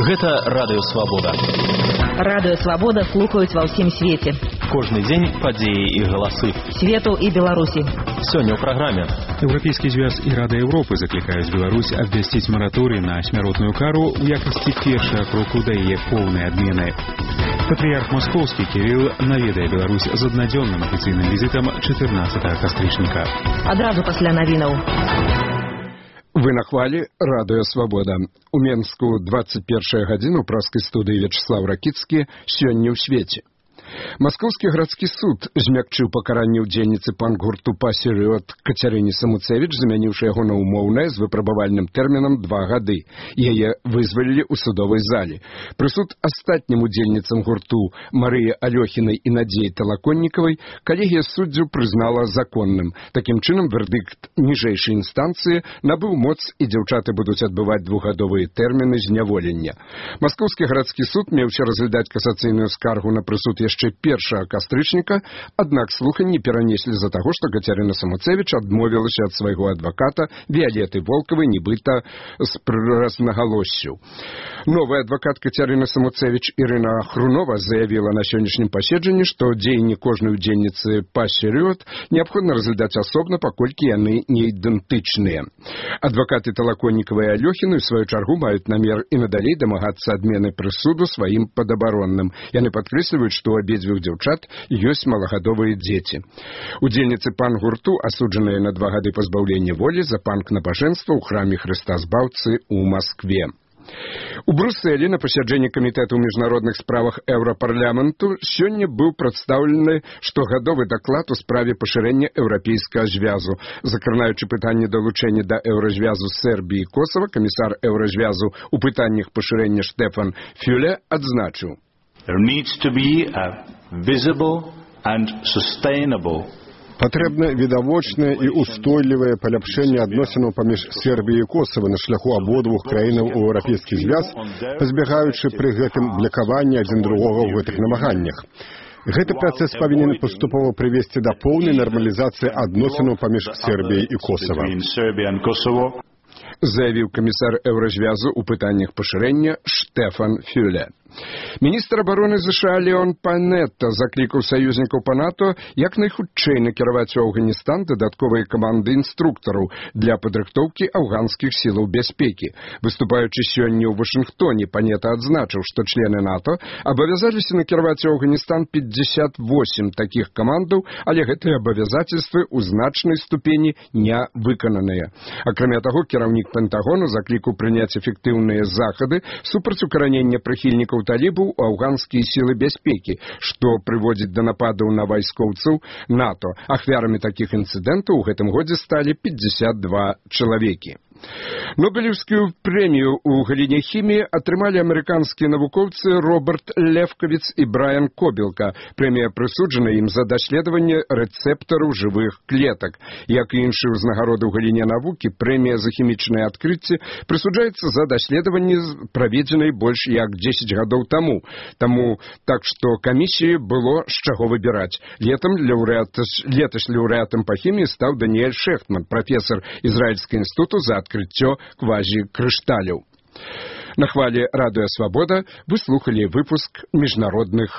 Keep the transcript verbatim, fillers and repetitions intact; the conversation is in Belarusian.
Гэта Радыё Свабода. Радыё Свабода слухаюць ва ўсім свеце. Кожны дзень падзеі і галасы. Свету і Беларусі. Сёння ў праграме. Еўрапейскі звяз і Рада Еўропы заклікаюць Беларусь абвясціць мараторый на смяротную кару ў якасці першага кроку да яе поўнай адмены. Патрыярх Маскоўскі Кірыл наведае Беларусь з аднадзённым афіцыйным візітам чатырнаццатага кастрычніка. Адразу пасля навінаў. Вы на хвалі Радыё Свабода. У Менску двадцать першая гадзіна ў праскай студыі Вячеслав Ракіцкі «Сёння ў свеце». Маскоўскі гарадскі суд змякчыў пакаранне ўдзельніцы панк-гурту «Пасерёд» Кацярыне Самуцевіч, замяніўшы яго на ўмоўнае з выпрабавальным тэрмінам два гады. Яе вызвалілі ў судовай зале. Прысуд астатнім удзельніцам гурту Марыі Алёхінай і Надзеі Талаконнікавай калегія суддзяў прызнала законным. Такім чынам, вердыкт ніжэйшай інстанцыі набыў моц, і дзяўчаты будуць адбываць двухгадовыя тэрміны зняволення. Маскоўскі гарадскі суд меўся разглядаць касацыйную скаргу на прысуд яшчэ першага кастрычніка, аднак слуханні перанеслі з-за таго, што Кацярына Самуцевіч адмовілася ад свайго адваката Віалеты Волкавай, нібыта з разнагалоссю. Новы адвакат Кацярыны Самуцевіч Ірына Хрунова заявіла на сённяшнім паседжанні, што дзеянні кожнай удзельніцы «Пасерёд» неабходна разглядаць асобна, паколькі яны не ідэнтычныя. Адвакаты Талаконнікавай і Алёхіны, ў сваю чаргу, маюць намер і надалей дамагацца адмены прысуду сваім падабаронным. Яны падкрэсліваюць, што у абедзвюх дзяўчат ёсць малагадовыя дзеці. Удзельніцы панк-гурту асуджаныя на два гады пазбаўлення волі за панк-набажэнства ў храме Хрыста Збаўцы ў Маскве. У Брусэлі на пасяджэнні камітэта ў міжнародных справах Еўрапарламенту сёння быў прадстаўлены штогадовы даклад у справе пашырэння еўрапейскага звязу. Закранаючы пытанне далучэння да еўразвязу Сербіі і Косава, камісар еўразвязу ў пытаннях пашырэння Штефан Фюле адзначыў: There needs to be a visible and sustainable Патрэбна відавочнае і устойлівае паляпшэнне адносінаў паміж Сербіяй і Косава на шляху абодвух краінаў у еўрапейскі звяз, пазбягаючы пры гэтым блакавання адзін другога ў гэтых намаганнях. Гэты працэс павінен паступова прывесці да поўнай нармалізацыі адносінаў паміж Сербіяй і Косава, заявіў камісар еўразвязу ў пытаннях пашырэння Штефан Фюле. Міністр абароны ЗША Леон Панетта заклікаў саюзнікаў па НАТО як найхутчэй накіраваць у Афганістан дадатковыя каманды інструктараў для падрыхтоўкі афганскіх сілаў бяспекі. Выступаючы сёння ў Вашынгтоне, Панетта адзначыў, што члены НАТО абавязаліся накіраваць у Афганістан пятьдесят восемь такіх камандаў, але гэтыя абавязацельствы ў значнай ступені не выкананыя. Акрамя таго, кіраўнік Пентагону заклікаў прыняць эфектыўныя захады супраць укаранення прыхільнікаў талібаў у афганскія сілы бяспекі, што прыводзіць да нападаў на вайскоўцаў НАТО. Ахвярамі такіх інцыдэнтаў у гэтым годзе сталі пятьдесят два чалавекі. Нобелевскую прэмію ў галіне хіміі атрымалі амерыканскія навукоўцы Роберт Лефкавіц і Брайан Кобілка. Прэмія прысуджана ім за даследаванне рэцэптараў жывых клетак. Як і іншыя ўзнагароды ў галіне навукі, прэмія за хімічныя адкрыцці прысуджаецца за даследаванне, праведзенай больш як дзесяць гадоў таму. Таму так што камісіі было з чаго выбіраць. Летам лаўрэат, леташ лаўрэатам па хіміі стаў Даніэль Шэхтман, прафесар Ізраільскага інстытуту за адкрыццё квазікрышталяў. На хвалі Радыё Свабода вы слухалі выпуск міжнародных